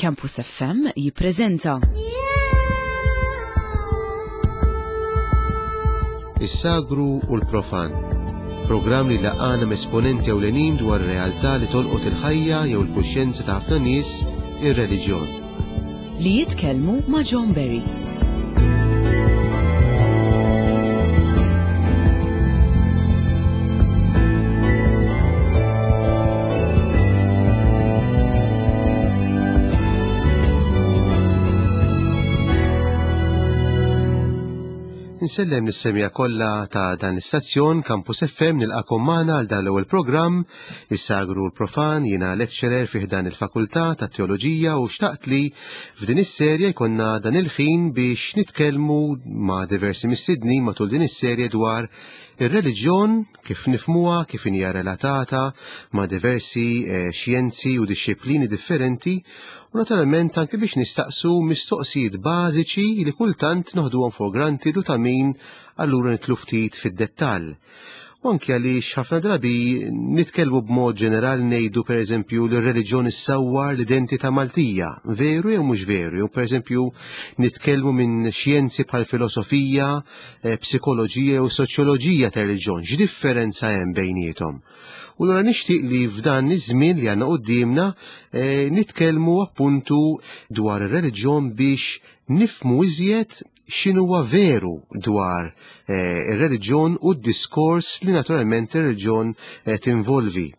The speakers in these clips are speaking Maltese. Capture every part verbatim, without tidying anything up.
Campus F M jippreżenta Is-Sagru u l-Profan. Programm li jlaqqagħna m'esponenti ewlenin dwar realtà li tolqot il-ħajja jew il-kuxjenza ta' ħafna nies, ir-reliġjon. Li jitkellmu ma' John Berry. Insellem lis-semmiegħa kollha ta' dan l-istazzjon Campus F M, nilqagħkom magħna għal dan l-ewwel programm, Is-Sagru u l-Profan. Jiena lecturer fih dan il-Fakultà ta' Teoloġija u xtaqt li f'din is-serje jkollna dan il-ħin biex nitkellmu ma' diversi mistednin matul din is-serje dwar ir-reliġjon, kif nifhmuha, kif hija relatata ma' diversi eh, xjenzi u disċiplini differenti u naturalment anke biex nistaqsu mistoqsijiet bażiċi li kultant noħduhom for granted u ta' min allura nidħlu ftit fid-dettall. U anke għaliex ħafna drabi nitkellmu b'mod ġenerali, ngħidu pereżempju li r-reliġjon issawwar l-identità Maltija, veru jew mhux veru, jew pereżempju nitkellmu minn xjenzi bħal filosofija, eh, psikoloġija jew soċjoloġija ta' reliġjon, x'differenza hemm bejniethom? U allura nixtieq li f'dan iż-żmien li għandna quddiemna eh, nitkellmu appuntu dwar ir-reliġjon biex nifhmu iżjed x'inhuwa veru dwar eh, ir-reliġjon u d-diskors li naturalment ir-reliġjon eh, tinvolvi.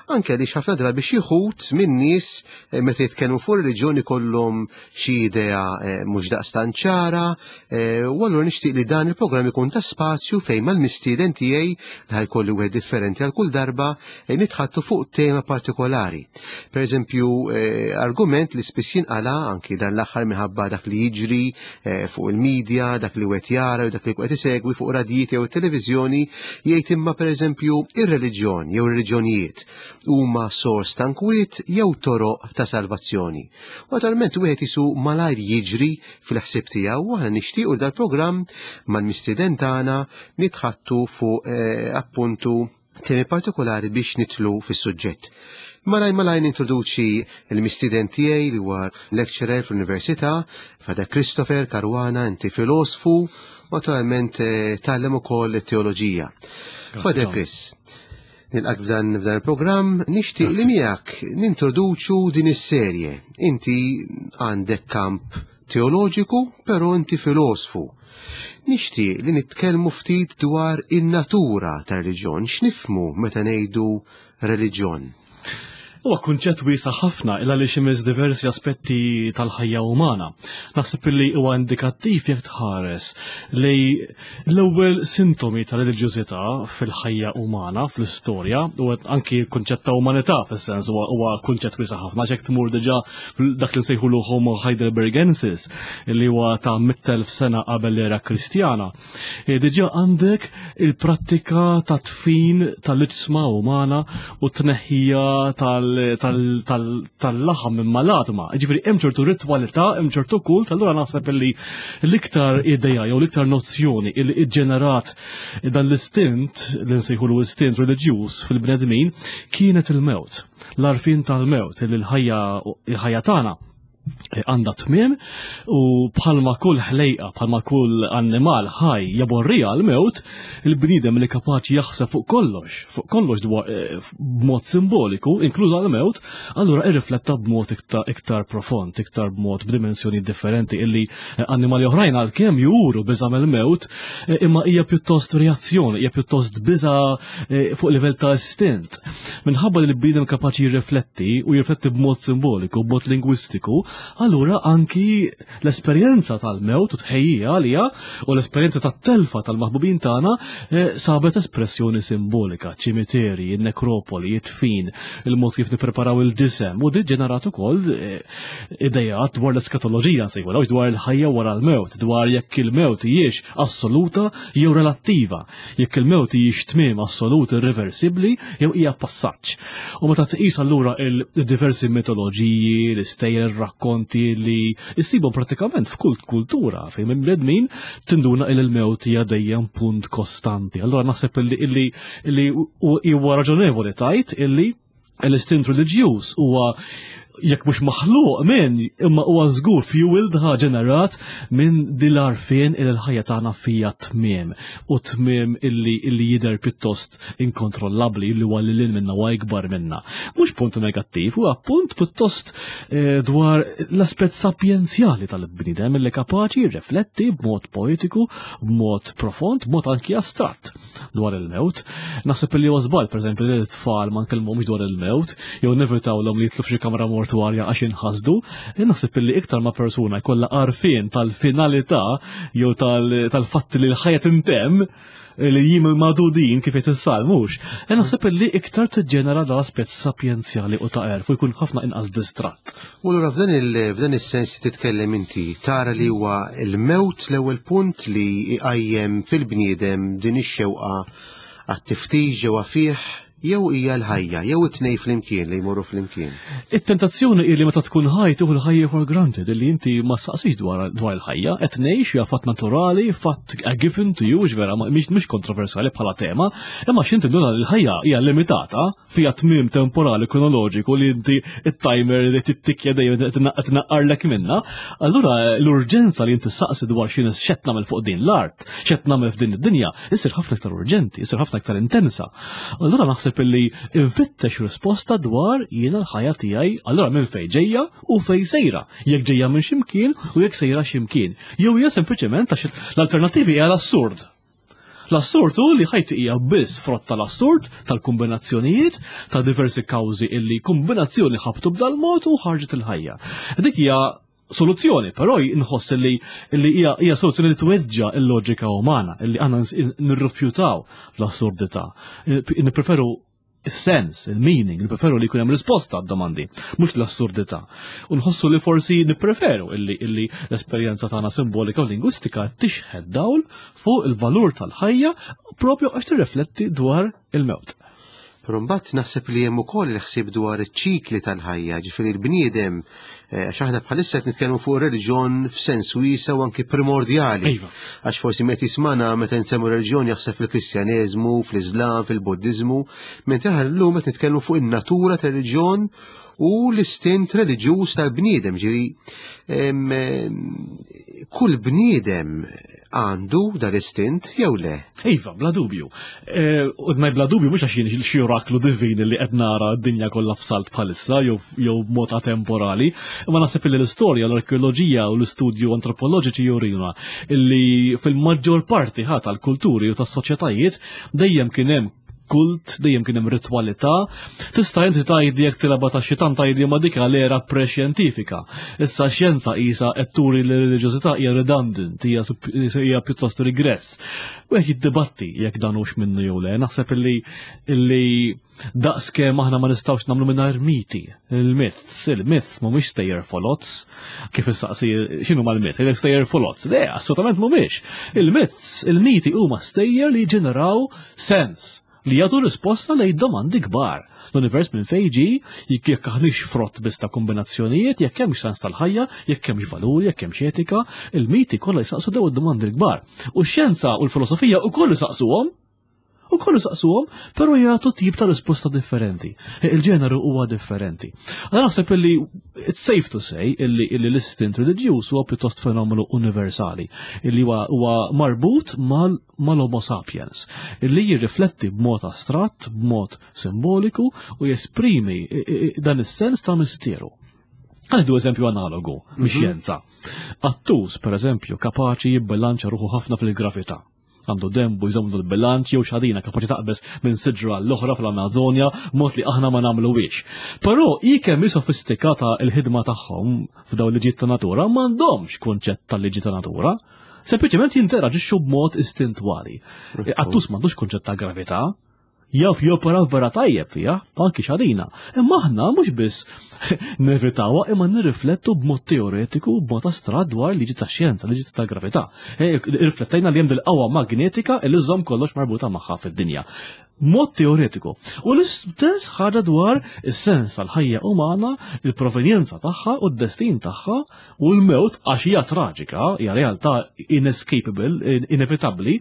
Anke għaliex ħafna drabi xi wħud min-nies eh, meta jitkellmu fuq ir-reliġjon ikollhom xi idea eh, mhux daqstant ċara, eh, u allura nixtieq li dan il-programm ikun ta' spazju fejn mal-mistieden tiegħi, li ħa jkolli wieħed differenti għal kull darba, eh, nitħaddtu fuq tema partikolari. Per eżempju, eh, argument li spiss jinqala anki dan l-aħħar minħabba dak li jiġri eh, fuq il-medja, dak li wieħed jara u dak li qed isegwi fuq radijiet jew televiżjoni, jgħid imma pereżempju ir-reliġjon jew ir-reliġjonijiet huma sors ta' nkwiet jew toroq ta' salvazzjoni? U naturalment wieħed isu malajr jiġri fil-ħsieb tiegħu u aħna nixtiequ dal-programm mal-mistieden tagħna nitħaddtu fuq eh, appuntu temi partikolari biex nidħlu fis-suġġett. Malaj malaj nintroduċi il-mistieden tiegħi li huwa lecturer fl-Università, Father Christopher Caruana, inti filosofu, naturalment eh, tgħallem ukoll it-teoloġija. Father Chris, nilqgħek f'dan f'dan il-programm, nixtieq li miegħek nintroduċu din is-serje. Inti għandek kamp teoloġiku, però inti filosofu. Nixtieq li nitkellmu ftit dwar in-natura tar-reliġjon, x'nifhmu meta ngħidu reliġjon? Huwa kunċett wiesa' ħafna illa li ximiz diversi aspetti tal-ħajja umana. Naħseb li huwa indikattiv jekk tħares li l-ewwel sintomi tal-reliġjużità fil-ħajja umana, fl-istorja, u anki kunċett ta' umanità fis-sens huwa kunċett wiesa' ħafna, jekk tmur diġà dak li nsejħulu Homo heidelbergensis, li huwa ta' mitt elf sena qabel l-era Kristjana. E, diġà għandek il-prattika ta' dfin tal-iġsma umana u tneħħija tal tal-laħam minn mal-għadma. Ġifieri hemm ċertu ritwalità, hemm ċertu kult, allura naħseb li l-iktar idea jew l-iktar nozzjoni li iġġenerat dan l-istint, li nsejħulu istint reliġjuż fil-bnedmin, kienet il-mewt. L-għarfien tal-mewt, li l-ħajja tagħna għandha tmiem u bħalma kull ħlejqa, bħalma kull annimal ħaj jaborrija l-mewt, il-bniedem li kapaċi jaħseb fuq kollox, fuq kollox dwar eh, b'mod simboliku, inkluża l-mewt, allura irrifletta b'mod iktar, iktar profond, iktar b'mod b'dimensjoni differenti illi eh, annimali oħrajn għalkemm juru biża' mill-mewt, eh, imma hija pjuttost reazzjoni, hija pjuttost biża fuq livell ta' istint. Minħabba li l-bniedem kapaċi jirrifletti u jirrifletti b'mod simboliku, b'mod lingwistiku, allura anki l-esperjenza tal-mewt u tħejjija għalija u l-esperjenza tat-telfa tal-maħbubin tagħna eh, sabet espressjoni simbolika, ċimiteri, nekropoli, id-dfin, il-mod kif nippreparaw il-ġisem u di ġenerat ukoll eh, idejat dwar l-eskatoloġija nsejħu, dwar il-ħajja wara l-mewt, dwar jekk il-mewt hijiex assoluta jew relattiva, jekk il-mewt hijiex tmiem assolut irreversibbli jew hija passaġġ. U meta tqis allura il-diversi mitoloġiji, l-istejjer, rakkonti li issibhom pratikament f'kull kultura fejn minn bnedmin, tinduna il il-mewt hija dejjem punt kostanti. Allora naħseb illi illi huwa raġonevoli tgħid illi l-istint reliġjuż huwa Jekk mhux maħluq minn, imma huwa żgur fueled, ħa ġenerat minn din l-għarfien il l-ħajja tagħna fija tmiem u tmiem illi illi jidher pjuttost inkontrollabbli, illi huwa lil minna, huwa ikbar minna. Mhux punt negattiv, huwa punt pjuttost eh, dwar l-aspett sapjenzjali tal-bniedem illi kapaċi jirrifletti b'mod poetiku, b'mod profond, b'mod anki astratt dwar il-mewt. Naħseb li huwa żball, pereżempju, li t-tfal ma nkellmuhomx dwar il-mewt, jew nevitawlhom li jidħlu f'xi kamra mortwarja għax inħasdu. Naħseb li iktar ma persuna jkollha għarfien tal-finalità jew tal-fatt li l-ħajja tintemm, li jiem magħdudin kif qed issal mhux. Naħseb li iktar tiġġenera dal-aspett sapjenzjali u ta' għerf u jkun ħafna inqas distratt. U allura f'dan il- f'dan is-sens li titkellem inti, tara li huwa il-mewt l-ewwel punt li jqajjem fil-bniedem din ix-xewqa għat-tiftix ġewwa fih, jew hija l-ħajja, jew it-tnejn flimkien li jmorru flimkien? It-tentazzjoni hi li meta tkun ħaj tieħu l-ħajja for granted, li inti ma saqsix dwar dwar il-ħajja, qed ngħix, hija fatt naturali, fatt a given to you, vera mhix mhix kontroversjali bħala tema, imma x'inti nduna li l-ħajja hija limitata, fiha tmiem temporali kronoloġiku li inti it-timer li tittikja dejjem tnaqqarlek minna, allura l-urġenza li inti saqsi dwar x'inhi, x'qed nagħmel fuq din l-art, x'qed nagħmel f'din id-dinja, issir ħafna iktar urġenti, issir ħafna iktar intensa. Allura naħseb illi infittex risposta dwar jiena l-ħajja tiegħi, allura minn fejn ġejja u fejn sejra, jekk ġejja minn ximkien u jekk sejra ximkien. Jew hija sempliċement għax l-alternattivi hija l-assurd. L-assurd hu li ħajti hija biss frott tal-assurd, tal-kombinazzjonijiet, ta' diversi kawżi illi kombinazzjoni ħabtu b'dal-mod u ħarġet il-ħajja. Dik hija soluzzjoni, però nħoss li li hija hija soluzzjoni li tweġġa l-loġika umana, illi għandna nirrifjutaw l-assurdità. Nippreferu il-sens, il-meaning, nippreferu li jkun hemm risposta għad-domandi, mhux l-assurdità. U nħossu li forsi nippreferu illi illi l-esperjenza tagħna simbolika u lingwistika tixħed dawl fuq il-valur tal-ħajja propju għax tirrifletti dwar il-mewt. Però mbagħad naħseb li hemm ukoll il-ħsieb dwar iċ-ċikli tal-ħajja, ġifieri l-bniedem, eh, għax aħna bħalissa qed nitkellmu fuq reliġjon f'sens wiesa' u anki primordjali. Iva. Għax forsi meta jismana meta nsemmu reliġjon jaħseb fil-Kristjaneżmu, fl-Iżlam, fil-Buddiżmu, mentri aħna llum qed nitkellmu fuq in-natura tal-reliġjon u l-istint reliġjuż tal-bniedem, ġifieri em, em, kull bniedem għandu dal-istint jew le? Iva, bla dubju. Eh, U ngħid bla dubju mhux għax jien xi oraklu divin li qed nara d-dinja kollha f'salt bħalissa jew jew b'mod atemporali, imma naħseb li l-istorja, l-arkeoloġija u l-istudju antropoloġiċi jurina illi fil-maġġor parti ħa tal-kulturi u tas-soċjetajiet dejjem kien hemm kult, dejjem kien hemm ritwalità. Tista' inti tgħidli, jekk tilgħabha ta' xitan, tgħidli ma dik l-era pre-xjentifika. Issa xjenza qisha qed turi li r-reliġjożità hija redundant, hija sup- hija pjuttost regress. U qed jiddibatti jekk dan hux minnu jew le. Naħseb illi illi daqskemm aħna ma nistgħux nagħmlu mingħajr miti. Il-myths, il-myths mhumiex stejjer folots. Kif issaqsi x'inhu mal-myth? Il stejjer folots. Le, assolutament mhumiex. Il-myths, il-miti huma stejjer li ġeneraw sens, li jagħtu risposta lejn domandi kbar. L-univers minn fejn ġie, jekk jekk aħniex frott biss ta' kombinazzjonijiet, jekk hemmx sens tal-ħajja, jekk hemmx valuri, jekk hemmx etika, il-miti kollha jsaqsu daw id-domandi l-kbar. U x-xjenza u l-filosofija wkoll isaqsuhom, u kollu saqsuhom, però jagħtu tip ta' risposta differenti. Il-ġeneru huwa differenti. Għana naħseb illi it's safe to say illi illi l-istint reliġjuż huwa pjuttost fenomenu universali, illi huwa huwa marbut mal mal-Homo sapiens, illi jirrifletti b'mod astratt, b'mod simboliku u jesprimi i- i- dan is-sens ta' misteru. Ħa nieħdu eżempju analogu mix-xjenza. Qattus, per eżempju, kapaċi jibbilanċa ruħu ħafna fil-gravità. Għandu dembu jżommu l-bilanċ, jew xadina kapaċi taqbeż minn siġra l-oħra fl-Amazonja mod li aħna ma nagħmluwiex. Però hi kemm hi sofistikata il-ħidma tagħhom f'dawn liġijiet ta' natura, m'għandhomx kunċett tal-liġi ta' natura. Sempliċement jinteraġixxu b'mod istintuali. Qattus m'għandux kunċett ta' gravità, jaf jopera vera tajjeb fija, anki xadina. Imma aħna mhux biss nevitawha, imma nirriflettu b'mod teoretiku, b'mod astratt dwar liġi ta' xjenza, liġi ta' gravità. E, Irriflettejna li hemm dil-qawwa magnetika li żżomm kollox marbuta magħha fid-dinja. Mod teoretiku. U l-istess ħaġa dwar is-sens tal-ħajja umana, il-provenjenza tagħha u d-destin tagħha u l-mewt, għax hija traġika, hija realtà inescapable, inevitabbli,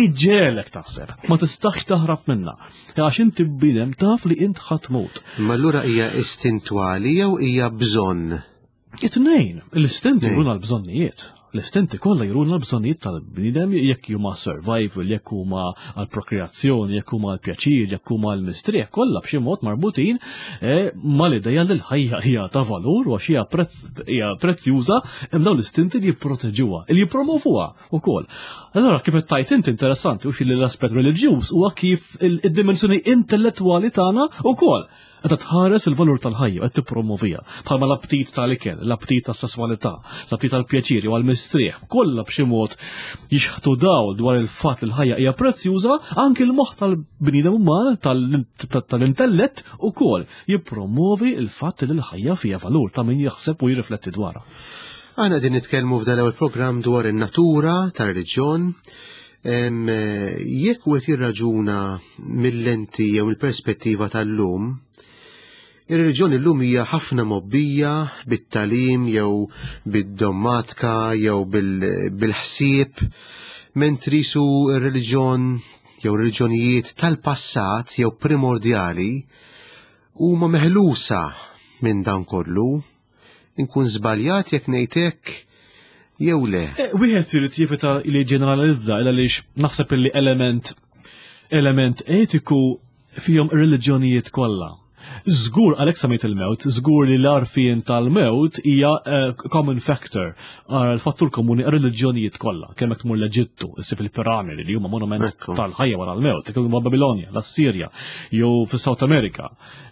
iġġegħlek taħseb. Ma tistax taħrab minnha. Għax inti bniedem taf li int ħa tmut. Ma allura hija istintuali jew hija bżonn? It-tnejn, l-istinti juruna l-bżonnijiet. L-istinti kollha juruna l-bżonnijiet tal-bniedem, jekk huma survival, jekk huma għall-prokreazzjoni, jekk huma għall-pjaċir, jekk huma għall-mistrieħ, kollha b'xi mod marbutin eh, mal-idea li l-ħajja hija ta' valur u għax hija prezz- hija prezzjuża, hemm dawn l-istinti li jipproteġuha, li jippromovuha wkoll. Allora kif qed tajt inti interessanti u xi l-aspett reliġjuż huwa kif il-dimensjoni intellettwali tagħna wkoll qed tħares il-valur tal-ħajja, qed tippromovija. Bħalma l-aptit tal-ikel, l-aptit tas-sesswalità, l-aptit tal-pjaċiri u għall-mistrieħ, kollha b'xi mod jixħtu dawl dwar il-fatt li l-ħajja hija prezzjuża, anki l-moħħ tal-bniedem uman, tal-intellett ukoll jippromovi il-fatt li l-ħajja fiha valur ta' min jaħseb u jirrifletti dwarha. Aħna din nitkellmu f'dan l-ewwel programm dwar in-natura tar-reliġjon. Jekk wieħed jirraġuna mill-lenti jew il-perspettiva tal-lum, ir-reliġjon illum hija ħafna mobbija bit-tagħlim jew bid-dommatika jew bil-ħsieb, mentri su r-reliġjon jew reliġjonijiet tal-passat jew primordjali huma meħlusa minn dan kollu. Inkun żbaljat jekk ngħid hekk jew le? Wieħed irid jevita li ġeneralizza għaliex naħseb li element element etiku fihom ir-reliġjonijiet kollha. Żgur għalhekk semmejt il-mewt, żgur li l-għarfien tal-mewt hija common factor, l-fattur komuni għar-reliġjonijiet kollha. Kemm hekk tmur l-Eġittu, issib il-piramidi li huma monument tal-ħajja wara l-mewt, kemm huma Babilonja, l-Assirja, jew fis-South America,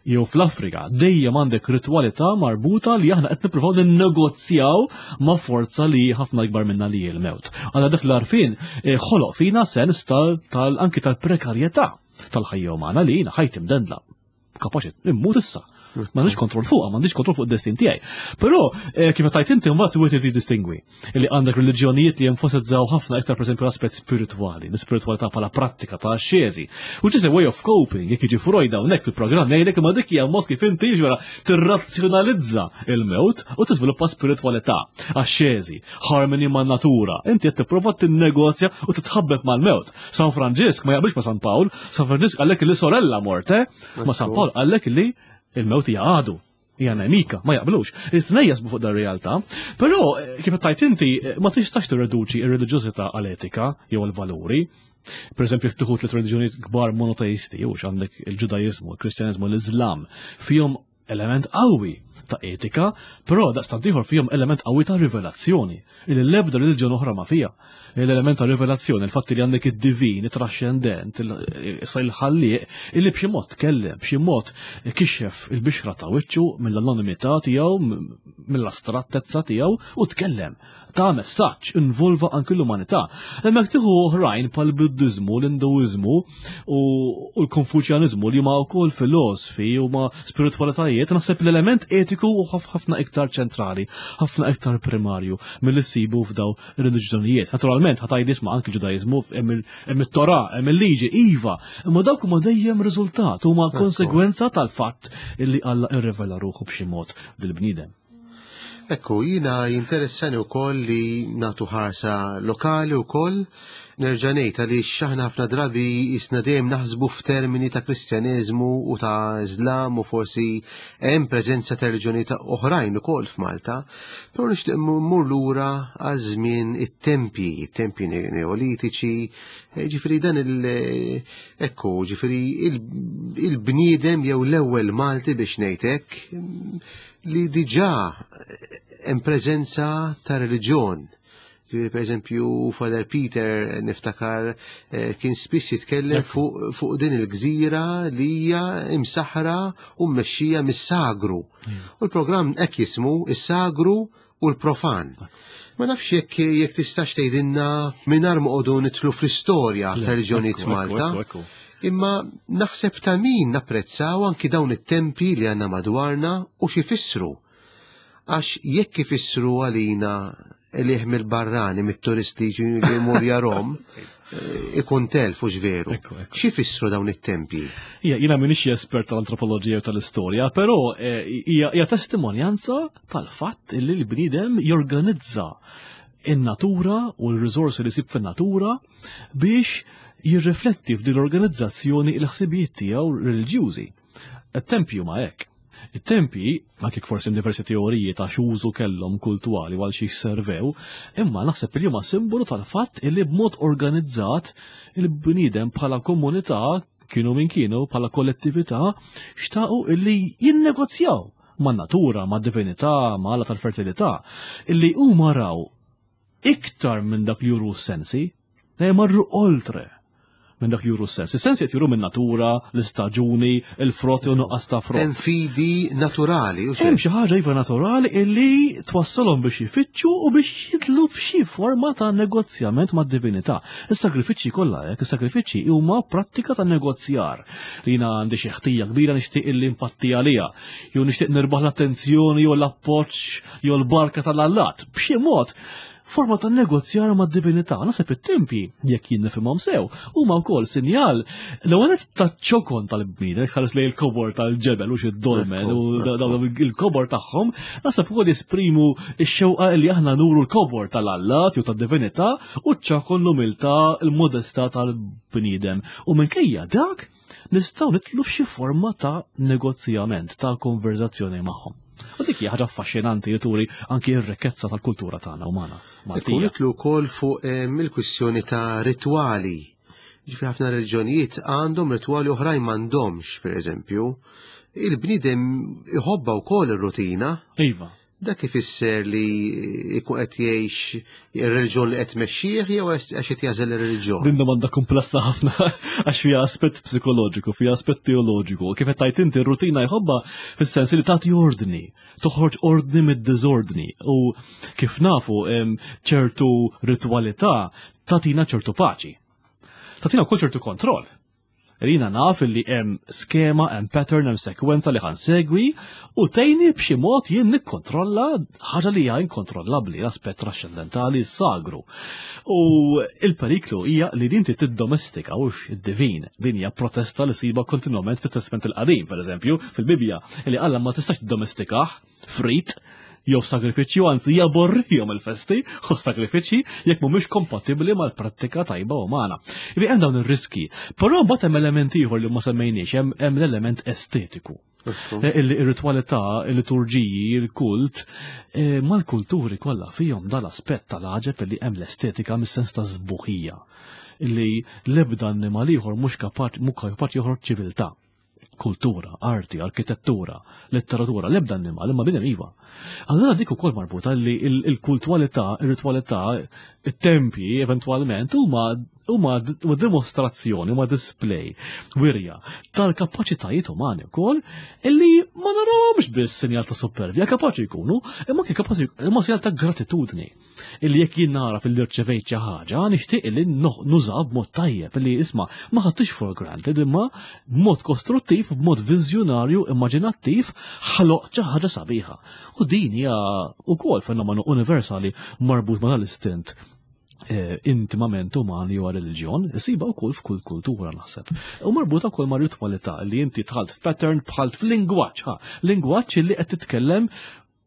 jew fl-Afrika, dejjem għandek ritwalità marbuta li aħna qed nippruvaw ninnegozjaw ma' forza li ħafna ikbar minna li hi l-mewt. Għandna dak l-għarfien ħoloq fina sens tal anki tal-prekarjetà tal-ħajja umana li jiena ħajti mdendla. Kapaċi immut issa. M'għandix kontroll fuqha, m'għandix kontroll fuq id-destin tiegħi. Però kif tajt inti mbagħad wieħed irid jiddistingwi li għandek reliġjonijiet li jenfasizzaw ħafna iktar pereżempju l-aspett spiritwali, l-ispiritwalità bħala prattika ta' axxeżi. Which is a way of coping, jekk jiġi Freud hawnhekk fil-programm jgħidlek imma dik hija mod kif inti ġara tirrazzjonalizza il-mewt u tiżviluppa spiritwalità, axxeżi, harmony man-natura. Inti qed tipprova tinnegozja u titħabbeb mal-mewt. San Franġisk ma jaqbilx ma' San Pawl, San Franġisk qallek li sorella morte, ma' San Pawl qallek li il-mewt hija għadu, hija nemika, ma jaqblux. It-tnejn jasbu fuq dar-realtà, però kif qed tajt inti ma tistax tirreduċi ir-reliġjożità għal-etika jew għal-valuri. Per eżempju, jekk tieħu tliet reliġjonijiet kbar monoteisti, jew għandek il-Ġudajiżmu, il-Kristjaniżmu, l-Iżlam, fihom element qawwi ta' etika, però daqstant ieħor fihom element qawwi ta' rivelazzjoni, illi l-ebda reliġjon oħra ma fiha. L-element ta' rivelazzjoni, il-fatt li għandek id-divin, it-trascendent, issa il-ħallieq, illi b'xi mod tkellem, b'xi mod kixef il-bixra ta' wiċċu mill-anonimità tiegħu, mill-astrattezza tiegħu u tkellem. Ta' messaġġ involva anki l-umanità. Hemmhekk tieħu oħrajn bħal Buddiżmu, l-Induiżmu u l-Konfuċjaniżmu li huma wkoll filosofi u ma spiritwalitajiet, naħseb l-element etiku u ħafna iktar ċentrali, ħafna iktar primarju milli ssibu f'daw ir-reliġjonijiet. Naturalment, ħa tgħid isma' anki l-Ġudaiżmu hemm it-Torah, hemm il-liġi, iva, imma dawk huma dejjem riżultat, huma konsegwenza tal-fatt illi Alla irrivela ruħu b'xi mod lill-bniedem. Ekku, jina jinteressani wkoll li nagħtu ħarsa lokali wkoll, nerġa' ngħid għaliex aħna ħafna drabi jisna dejjem naħsbu f'termini ta' Kristjaneżmu u ta' Iżlam u forsi hemm preżenza ta' reliġjoni ta' oħrajn ukoll f'Malta, però nixtieq mmur lura għal żmien it-tempji, it-tempji neolitiċi, ġifieri dan il- ekku, ġifieri il-bniedem jew l-ewwel Malti biex ngħid hekk li diġà hemm preżenza ta' reliġjon. Ġifieri, per eżempju, Father Peter niftakar kien spiss jitkellem fuq fu din il-gżira li hija imsaħra u mmexxija mis-sagru. U l-programm hekk jismu is-sagru u l-profan. Ma nafx jekk jekk tistax tgħidilna mingħajr ma qogħdu nidħlu fl-istorja ta' reliġjonijiet Malta. Imma naħseb ta' min napprezzaw anki dawn it-tempi li għandna madwarna u x'ifissru. Għax jekk ifissru għalina liħ mill-barrani, mit-turisti li jmur jarom, ikun telf u veru. Xi fissru dawn it-tempji? Ija, jiena m'iniex espert tal-antropoloġija u tal-istorja, però hija testimonjanza tal-fatt li l-bniedem jorganizza in-natura u l-riżorsi li jsib fin-natura biex jirrifletti f'din l-organizzazzjoni l-ħsibijiet tiegħu reliġjużi. It-tempju ma hekk. It-tempji, anke forsi diversi teoriji ta' x'użu kellhom kultuali għal xi servew, imma naħseb li huma simbolu tal-fatt illi b'mod organizzat il-bniedem bħala komunità kienu min kienu bħala kollettività xtaqu illi jinnegozjaw man-natura, mad-divinità, ma' alla tal-fertilità, illi huma raw iktar minn dak li juru s-sensi, marru oltre minn dak li juru s-sens. Is-sensi qed juru minn natura, l-istaġuni, il-frott u nuqqas ta' frott. Hemm fidi naturali. Hemm xi ħaġa iva naturali illi twassalhom biex ifittxu u biex jidlu f'xi forma ta' negozjament mad-divinità. Is-sagrifiċċji kollha hekk, is-sagrifiċċji huma prattika ta' negozjar. Li jiena għandi xi ħtija kbira nixtieq illi impatti għaliha, jew nixtieq nirbaħ l-attenzjoni jew l-appoġġ jew l-barka tal-allat. B'xi mod forma ta' negozjar ma' divinità. Naħseb it-tempji, jekk jien nifhimhom sew, huma wkoll sinjal l-ewwel ta' ċokon tal-bniedem, ħares lejn il-kobor tal-ġebel u xi dolmen u dawn il-kobor tagħhom, naħseb ukoll jesprimu x-xewqa li aħna nuru l-kobor tal-allat jew tad-divinità u ċokon l-umiltà, il-modestà tal-bniedem. U minkejja dak nistgħu nitlu f'xi forma ta' negozjament, ta' konverzazzjoni magħhom. U dik hija ħaġa affaxxinanti li turi anki r-rikkezza tal-kultura tagħna umana. Ikun nitlu wkoll fuq il-kwistjoni ta' ritwali. Ġifieri ħafna reliġjonijiet għandhom ritwali oħrajn m'għandhomx, pereżempju. Il-bniedem iħobba wkoll ir-rutina. Iva. Dak ifisser li jkun qed jgħix ir-reliġjon li qed tmexxih jew għax qed jażel ir-reliġjon? Din domanda komplessa ħafna għax fiha aspett psikoloġiku, fiha aspett teoloġiku. Kif qed tgħid inti r-rutina jħobbha fis-sens li tagħti ordni, toħroġ ordni mid-diżordni. U kif nafu ċertu ritwalità tagħtina ċertu paċi. Tagħtina wkoll ċertu kontroll. Rina naf li hemm skema, hemm pattern, hemm sekwenza li ħansegwi u tgħinni b'xi mod jien nikkontrolla ħaġa li hija inkontrollabbli, l-aspett trascendentali sagru. U il-periklu hija li din tiddomestika hux id-divin. Din hija protesta li siba kontinwament fit-Testament il-Qadim, pereżempju, fil-Bibbja, li Alla ma tistax tiddomestikah frit jew sagrifiċċju, anzi jaborrihom il-festi u sagrifiċċji jekk mhumiex kompatibbli mal-prattika tajba umana. Jibi hemm dawn ir-riski. Però mbagħad hemm element ieħor li ma semmejniex, hemm l-element estetiku. Il-ritwalità, il-liturġiji, il-kult, mal-kulturi kollha fihom dal-aspett tal-għaġeb li hemm l-estetika mis-sens ta' sbuħija illi l-ebda annimal ieħor mhux kapaċi joħroġ ċiviltà. Kultura, arti, arkitettura, letteratura, l-ebda annimal, imma bniedem iva. Allora dik ukoll marbuta li il-kultualità, ir-ritwalità, it-tempji eventwalment huma huma dimostrazzjoni, huma display, wirja tal-kapaċitajiet umani wkoll illi ma narawhomx biss sinjal ta' supervja, kapaċi jkunu, imma kien kapaċi imma sinjal ta' gratitudni. Illi jekk jien nara fil-li rċevejt xi ħaġa, nixtieq illi nuża b'mod tajjeb, illi isma' ma ħadtix for granted, imma b'mod kostruttiv, b'mod viżjonarju, immaġinattiv, ħloq xi ħaġa sabiħa. U din hija wkoll fenomenu universali marbut ma' dal-istint intimament umani u reliġjon, isiba wkoll f'kull kultura naħseb. U marbuta wkoll ma' ritwalità li inti dħalt f'pattern bħalt f'lingwaġġ, ha, lingwaġġ li qed titkellem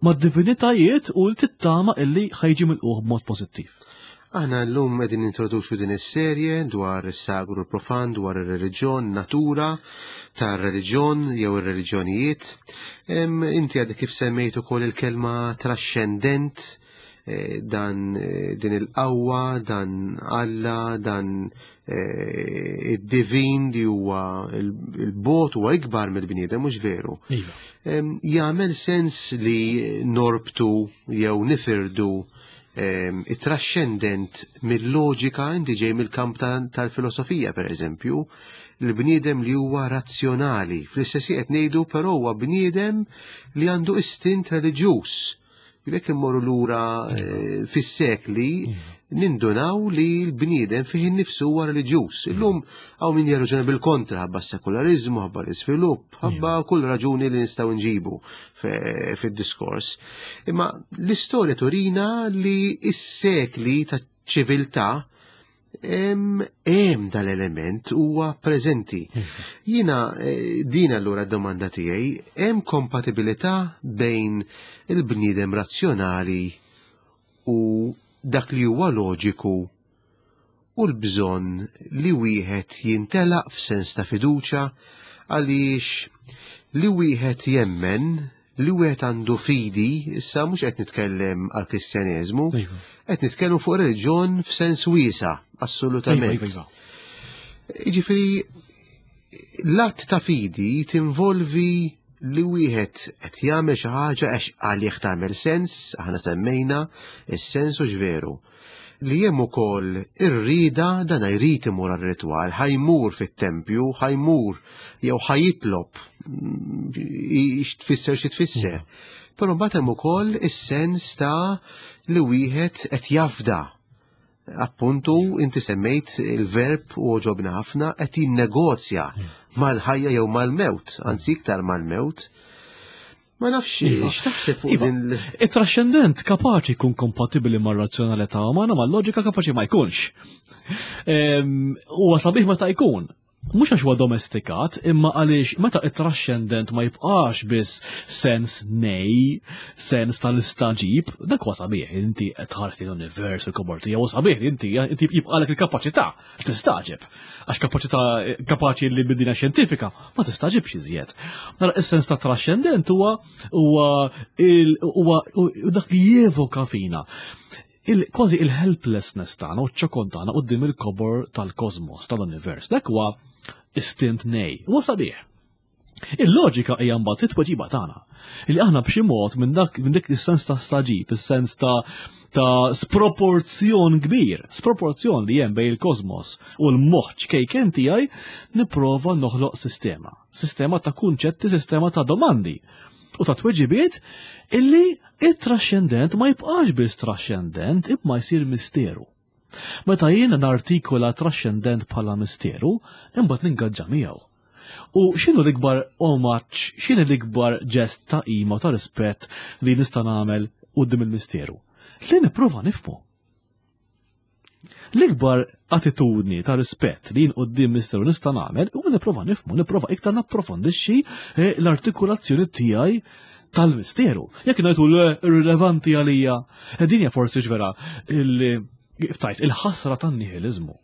ma' divinitajiet u tittama illi ħajġi milquh b'mod pożittiv. Aħna llum qegħdin nintroduċu din is-serje dwar is-sagru profan, dwar ir-reliġjon, natura tar-reliġjon jew ir-reliġjonijiet. Inti għadek kif semmejt ukoll il-kelma trascendent, dan din il-qawwa, dan Alla, dan id-divin li huwa il-bot huwa ikbar mill-bniedem, mhux veru. Jagħmel sens li norbtu jew nifirdu it-trascendent mill-loġika, inti ġej mill-kamp tal-filosofija per eżempju, l-bniedem li huwa razzjonali, fl-istess qed ngħidu però huwa bniedem li għandu istint reliġjuż. Jekk immorru lura fis-sekli, nindunaw li l-bniedem fih innifsu huwa reliġjuż. Illum hawn min jirraġuna bil-kontra, ħabba s-sekularizmu, ħabba l-iżvilupp, ħabba kull raġuni li nistgħu nġibu fid-diskors. Imma l-istorja turina li s-sekli ta' ċiviltà Hemm dal-element huwa preżenti. Jiena eh, din allura d-domanda tiegħi, hemm kompatibilità bejn il-bniedem razzjonali u dak li huwa loġiku u l-bżonn li wieħed jintelaq f'sens ta' fiduċa, għaliex li wieħed jemmen, li wieħed għandu fidi, issa mhux qed nitkellem għal Kristjaneżmu, Iva. qed nitkellmu fuq reliġjon f'sens wiesa', assolutament. Iva, iva, iva. Jiġifieri l-att ta' fidi tinvolvi li wieħed qed jagħmel xi ħaġa għax għalih tagħmel sens, aħna semmejna is-sens u x'veru. Li hemm ukoll ir-rieda, dan jrid imur għar-ritwal, ħa jmur fit-tempju, ħa jmur jew ħa jitlob, tfisser xi tfisser. Però mbagħad hemm ukoll is-sens ta' li wieħed qed jafda. Appuntu, inti semmejt il-verb u għoġobna ħafna, qed jinnegozja mal-ħajja jew mal-mewt, anzi iktar mal-mewt. Ma nafx Iva. x'taħseb fuq Iva. din l- Il-trascendent kapaċi jkun kompatibli mar-razzjonalità umana, mal-loġika kapaċi ma jkunx. Ehm, Huwa sabiħ meta jkun. Mhux għax huwa domestikat, imma għaliex meta it-trascendent ma jibqax biss sens nej, sens tal-istaġib, dak huwa sabiħ, inti qed tħares lejn l-univers, il-kobor tiegħu huwa sabiħ, inti inti jibqalek il-kapaċità tistaġib. Għax kapaċità kapaċi li bid-dinja xjentifika ma tistaġibx iżjed. Nara is-sens ta' trascendent huwa huwa il- huwa dak li jevoka fina. Il, kważi il-helplessness tagħna u ċ-ċokon tagħna quddiem il-kobor tal-kosmos, tal-univers. Dak huwa istint nej. Huwa sabiħ. Il-loġika hija mbagħad it-tweġiba tagħna. Illi aħna b'xi mod minn dak minn dik is-sens ta' staġib, is-sens ta' ta' sproporzjon kbir, sproporzjon li hemm bejn il-kosmos u l-moħħ ċkejken tiegħi, nipprova noħloq sistema. Sistema ta' kunċetti, sistema ta' domandi u ta' tweġibiet illi it-trascendent ma jibqax biss trascendent, imma jsir misteru. Meta jiena nartikola trascendent bħala misteru, imbagħad ningaġġa miegħu. U x'inhu l-ikbar omaġġ, x'inhu l-ikbar ġest ta' qima ta' rispett li nista' nagħmel quddiem il-misteru? Li nipprova nifhmu. L-ikbar attitudni ta' rispett li jien quddiem misteru nista' nagħmel huwa nipprova nifhmu, nipprova iktar napprofondixxi eh, l-artikolazzjoni tiegħi tal-misteru. Jekk ngħidu le irrilevanti għalija, eh, din hija forsi ġvera il- tajt il-ħasra tan-nihilizmu.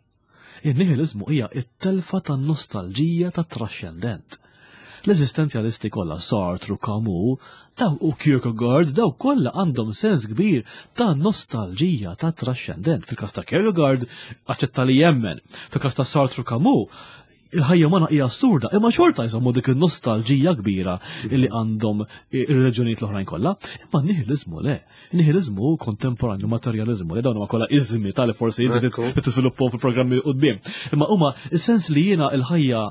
Il-nihilizmu hija it-telfa tan-nostalġija tat-trascendent. L-eżistenzjalisti kollha, Sartre u Camus, daw u Kierkegaard, daw kollha għandhom sens kbir ta' nostalġija ta' trascendent. Fil-każ ta' Kierkegaard aċċetta li jemmen, fil-każ ta' Sartre u Camus il-ħajja umana hija assurda, imma xorta jżommu dik il-nostalġija kbira li għandhom ir-reġjonijiet l-oħrajn kollha. Imma n-nihilizmu le. Nihilizmu kontemporanju, materializmu, li dawn huma kollha iżmi tal forsi inti Ekku. tiżviluppahom fil-programmi quddiem. Imma huma is-sens li jiena il-ħajja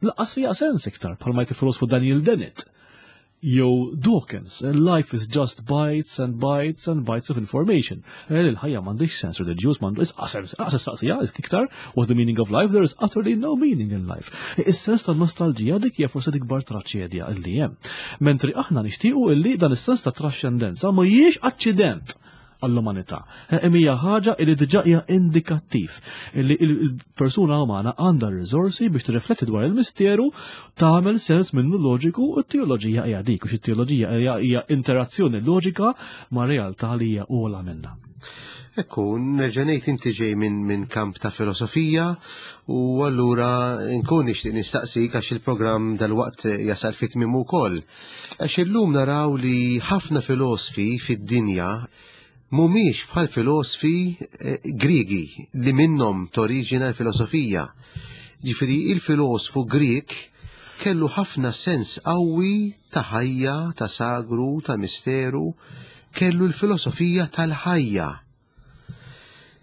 lanqas fiha sens iktar, bħalma jgħid il-filosofu Daniel Dennett. Jew Dawkins, life is just bytes and bytes and bytes of information. Eh, Il-ħajja m'għandix sens reliġjuż, m'għandu sens, saqsija iktar, what's the meaning of life? There is utterly no meaning in life. Is-sens tal-nostalġija dik hija forsi l-ikbar traċedja illi hemm. Mentri aħna nixtiequ illi dan is-sens ta' trascendenza ma jiex aċċident għall-umanità. Imma hija ħaġa li diġà hija indikattiv li il-persuna umana għandha r-riżorsi biex tirrifletti dwar il-misteru, tagħmel sens minnu loġiku, u t-teoloġija hija dik, u t-teoloġija hija hija interazzjoni loġika ma' realtà li hija ogħla minna. Ekku, nerġa' ngħid inti ġej minn min kamp ta' filosofija u allura nkun nixtieq nistaqsik għax il-programm dal-waqt jasal fit tmiemu wkoll. Għax illum naraw li ħafna filosfi fid-dinja mhumiex bħal filosfi eh, Griegi li minnhom toriġina l-filosofija. Ġifieri il-filosfu Grieg kellu ħafna sens qawwi ta' ħajja, ta' sagru, ta' misteru, kellu l-filosofija tal-ħajja.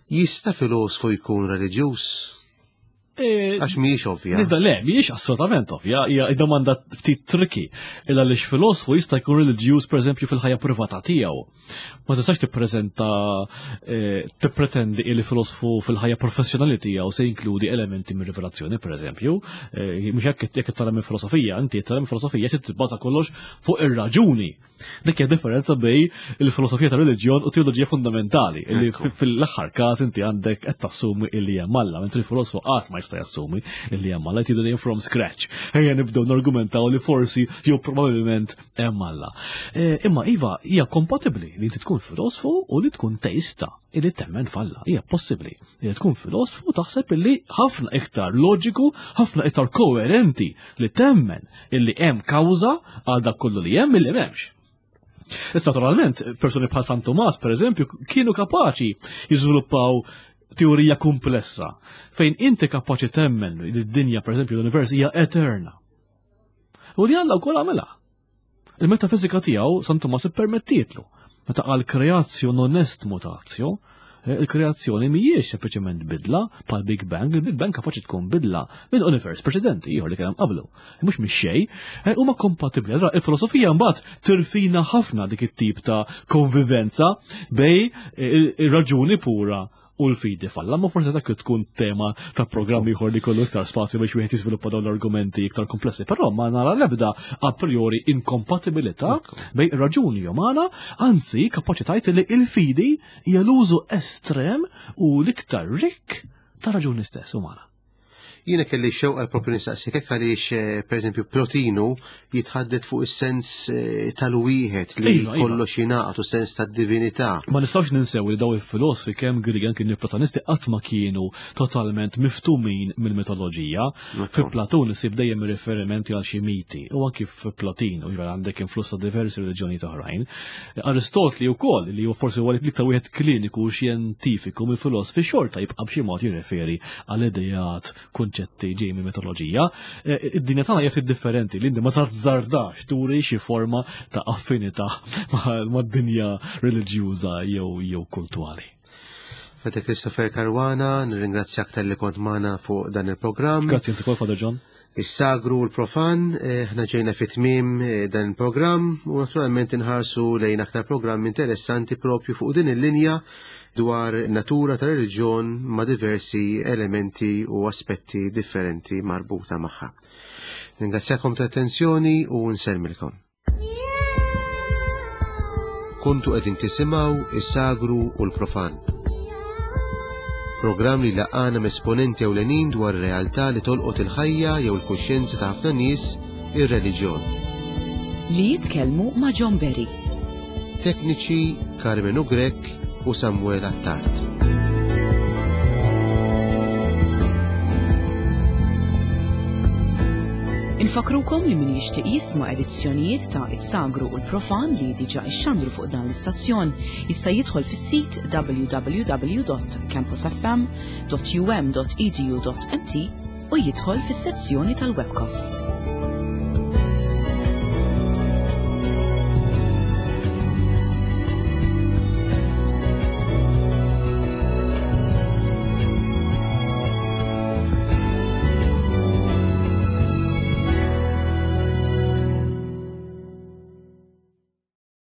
Jista' filosfu jkun reliġjuż? Għax mhijiex ovvja. Nidda le, mhijiex assolutament ovvja, hija domanda ftit tricky. Illa għaliex filosfu jista' jkun reliġjuż pereżempju fil-ħajja privata tiegħu. Ma tistax tippreżenta eh, tippretendi li filosfu fil-ħajja professjonali tiegħu se jinkludi elementi mir rivelazzjoni pereżempju. Eh, mhux hekk jekk tara minn filosofija, inti tara minn filosofija se tibbaża kollox fuq ir-raġuni. Dik hija differenza bej il-filosofija ta' reliġjon u teoloġija fundamentali, illi fil-aħħar każ inti għandek qed tassumi illi hemm Alla, mentri il-filosofu qatt ma jista' jassumi illi hemm Alla, jtidu dejjem from scratch. Ejja nibdew nargumentaw li forsi jew probabbilment hemm Alla. E, imma iva hija kompatibbli li inti tkun filosofu u li tkun teista illi temmen f'Alla. Hija possibbli li tkun filosofu taħseb illi ħafna iktar loġiku, ħafna iktar koerenti li temmen illi hemm kawża għal dak kollu li hemm illi m'hemmx. Issa naturalment, persuni bħal San Tomas, per eżempju, kienu kapaċi jiżviluppaw teorija komplessa, fejn inti kapaċi temmen li d-dinja, per eżempju, l-univers hija eterna. U li Alla wkoll għamilha. Il-metafizika tiegħu San Tomas ippermettietlu. Meta qal creatio non est mutatio, eh, il-kreazzjoni mhijiex sempliċement bidla bħal Big Bang, il-Big Bang kapaċi tkun bidla minn univers preċedenti ieħor li kien hemm qablu. Mhux minn xejn, eh, huma kompatibbli. Allura il-filosofija mbagħad tirfina ħafna dik it-tip ta' konvivenza bej eh, ir-raġuni pura u l-fidi f'Alla, ma forse dak tkun tema ta' programm ieħor li kollu iktar spazju biex wieħed jiżviluppa dawn l-argumenti iktar komplessi, però ma nara l-ebda a priori inkompatibilità bej raġuni umana, anzi kapaċi tgħid li il-fidi hija l-użu estrem u l-iktar rikk ta' raġuni stess umana. Jiena kelli xewqa propju nistaqsik hekk għaliex eh, pereżempju Plotinu jitħaddet fuq is-sens eh, tal-wieħed li Iva, iva. kollox jingħaqad u sens tad-divinità. Ma nistgħux ninsew li daw il-filosofi kemm Griegi anki Platonisti qatt ma kienu totalment miftumin mill-mitoloġija. Fi Platun isib dejjem riferimenti għal xi miti u anki fi Plotinu jiġifieri għandek influss ta' diversi reliġjonijiet oħrajn. Aristotli wkoll li huwa forsi huwa l-iktar wieħed kliniku u xjentifiku mill-filosofi xorta jibqa' b'xi mod jirreferi għal idejat kunċetti ġej minn mitoloġija. Eh, Id-dinja tagħna hija ftit differenti li inti ma tazzardax turi xi forma ta' affinità ma' mad-dinja reliġjuża jew jew kulturali. Father Christopher Caruana, nirringrazzjak talli kont magħna fuq dan il-programm. Grazzi inti wkoll, Father John. Is-sagru u l-profan, eh, ħna ġejna fit tmiem eh, dan il-programm u naturalment inħarsu lejn aktar programm interessanti propju fuq din il-linja dwar natura ta' reliġjon ma' diversi elementi u aspetti differenti marbuta magħha. Ringrazzjakom ta' attenzjoni u nsellmilkom. Kontu qegħdin tisimgħu is-sagru u l-profan. Programm li laqana esponenti ewlenin dwar realtà li tolqot il-ħajja jew il-kuxjenza ta' ħafna nies, ir-reliġjon. Li jitkellmu ma' John Berry. Tekniċi Carmenu Grech u Samuel Attard. Infakrukom li min jixtieq jisma' edizzjonijiet ta' Is-Sagru u l-Profan li diġà ixxandru fuq dan l-istazzjon jista' jidħol fis-sit w w w dot campusfm dot u m dot e d u dot m t u jidħol fis-sezzjoni tal-webcasts.